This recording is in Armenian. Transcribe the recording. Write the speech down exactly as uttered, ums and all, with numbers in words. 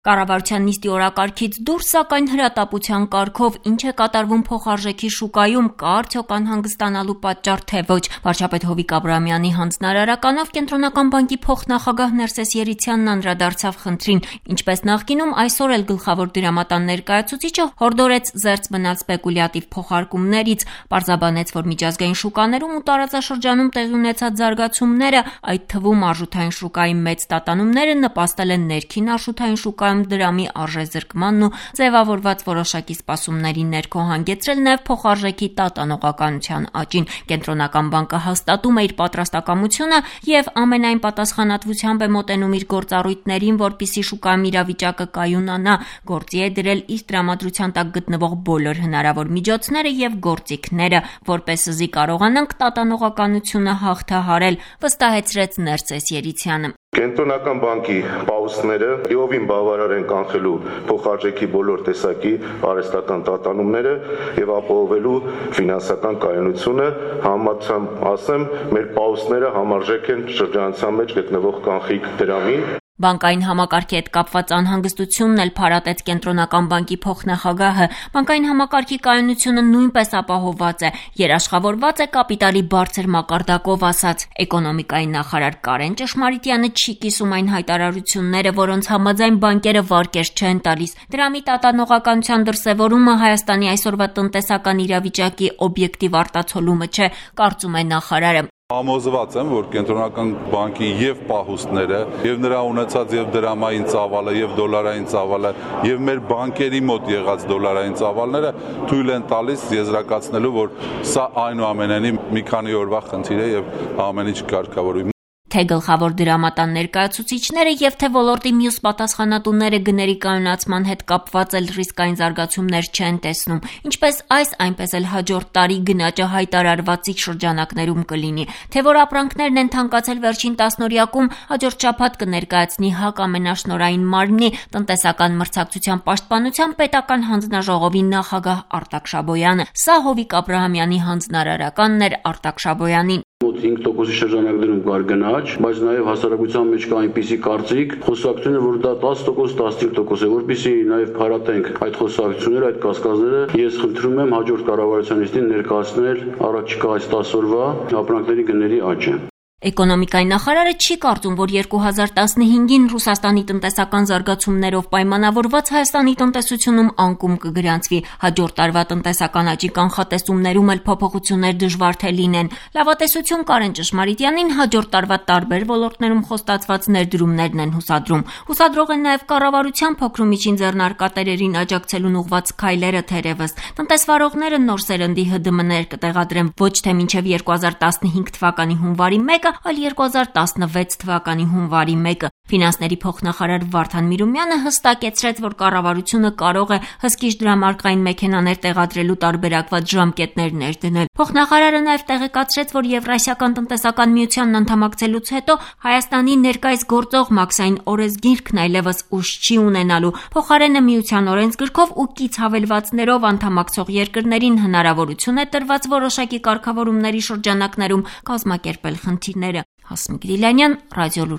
Կառավարության նիստի օրակարգից դուրս, սակայն հրատապության կարգով ինչ է կատարվում փոխարժեքի շուկայում, կա արդյոք անհանգստանալու պատճառ թե ոչ։ Վարչապետ Հովիկ Աբրահամյանի հանձնարարականով Կենտրոնական բանկի փոխնախագահ Ներսես Երիցյանն անդրադարձավ խնդրին, ինչպես նախկինում, այսօր էլ գլխավոր դրամատան ներկայացուցիչը հորդորեց զերծ մնալ սպեկուլյատիվ փոխարկումներից, պարզաբանեց, որ միջազգային շուկաներում ու տարածաշրջանում տեղի ունեցած զարգացումները, այդ թվում արժութային շուկայի մեծ տատանումները նպաստել են ներքին արժութային շուկայում դրամի արժեզրկմանն ու ձևավորված որոշակի սպասումների ներքո հանգեցրել նաև փոխարժեքի տատանողականության աճին։ Կենտրոնական բանկը հաստատում է իր պատրաստակամությունը եւ ամենայն պատասխանատվությամբ է մոտենում իր գործառույթներին, որպիսի շուկայում իրավիճակը կայունանա, գործի է դրել իր տրամադրության տակ գտնվող բոլոր հնարավոր միջոցները եւ գործիքները, որպեսզի կարողանանք տատանողականությունը հաղթահարել, վստահեցրեց Ներսես Երիցյանը։ Կենտրոնական բանկի պաուսները լիովին բավարար են կանխելու փոխարժեքի բոլոր տեսակի արհեստական տատանումները եւ ապահովելու ֆինանսական կայունությունը, համացանց ասեմ, մեր պաուսները համարժեք են շրջանցության մեջ գտնվող կանխիկ դրամին։ Բանկային համակարգի հետ կապված անհանգստությունն էլ փարատեց Կենտրոնական բանկի փոխնախագահը։ Բանկային համակարգի կայունությունը նույնպես ապահովված է, երաշխավորված է կապիտալի բարձր մակարդակով, ասաց էկոնոմիկայի նախարար Կարեն Ճշմարիտյանը չի կիսում այն հայտարարությունները, որոնց համաձայն բանկերը վարկեր չեն տալիս։ Դրամի տատանողականության դրսևորումը Հայաստանի այսօրվա տնտեսական իրավիճակի օբյեկտիվ արտացոլումը չէ, կարծում է նախարարը։ Համոզված եմ, որ Կենտրոնական բանկի եւ պահուստները, եւ նրա ունեցած եւ դրամային ծավալը, եւ դոլարային ծավալը, եւ մեր բանկերի մոտ եղած դոլարային ծավալները թույլ են տալիս եզրակացնելու, որ սա այնուամենայնիվ մի քանի օրվա խնդիր է եւ ամեն ինչ կարգավորվի։ Թե գլխավոր դրամատան ներկայացուցիչները եւ թե ոլորտի մյուս պատասխանատուները գների կայունացման հետ կապված էլ ռիսկային զարգացումներ չեն տեսնում, ինչպես այս, այնպես էլ հաջորդ տարի գնաճը հայտարարվածիկ շրջանակներում կլինի, թե որ ապրանքներն են թանկացել վերջին տասնօրյակում, հաջորդ շաբաթ կներկայացնի ՀԱԿ ամենաշնորհային մարմնի տնտեսական մրցակցության պաշտպանության պետական հանձնաժողովի նախագահ Արտակ Շաբոյանը։ Սա Հովիկ Աբրահամյանի հանձնարարականն էր Արտակ Շաբոյանին։ Մոտ հինգ տոկոսի շրջանակներում կար գնաճ, բայց նաև հասարակության մեջ կա այնպիսի կարծիք, խոսակցությունը, որ դա տասը տոկոս, տասնհինգ տոկոս է, որպեսզի նաև փարատենք այդ խոսակցությունները, այդ կասկածները, ես խնդրում եմ հաջորդ կառավարության նիստին ներկայացնել առաջիկա այս տասը օրվա ապրանքների գների աճը։ Էկոնոմիկայի նախարարը չի կարծում, որ երկու հազար տասնհինգին Ռուսաստանի տնտեսական զարգացումներով պայմանավորված Հայաստանի տնտեսությունում անկում կգրանցվի, հաջորդ տարվա տնտեսական աճի կանխատեսումներում էլ փոփոխություններ դժվար թե լինեն։ Լավատեսություն Կարեն Ճշմարիտյանին հաջորդ տարվա տարբեր ոլորտներում խոստացված ներդրումներն են հուսադրում։ Հուսադրող են նաև կառավարության փոքր ու միջին ձեռնարկատերերին աջակցելուն ուղղված քայլերը թերևս։ Տնտեսվարողները նոր սերնդի Հ D M-ներ կտեղադրեն ոչ թե մինչև երկու հազար տասնհինգ թվականի հունվարի մեկը, այլ երկու հազար տասնվեց թվականի հունվարի մեկը։ Ֆինանսների փոխնախարար Վարդան Միրումյանը հստակեցրեց, որ կառավարությունը կարող է հսկիչ դրամարկղային մեքենաներ տեղադրելու տարբերակված ժամկետներ ներդնել։ Փոխնախարարը նաև տեղեկացրեց, որ Եվրասիական տնտեսական միությանն անդամակցելուց հետո Հայաստանի ներկայիս գործող մաքսային օրենսգիրքն այլևս ուժ չի ունենալու։ Փոխարենը միության օրենսգրքով ու կից հավելվածներով անդամակցող երկրներին հնարավորություն է տրված որոշակի կարգավորումների շրջանակներում կազմակերպել խնդիրները։ Հասմիկ Դիլանյան, Ռադիոլուր։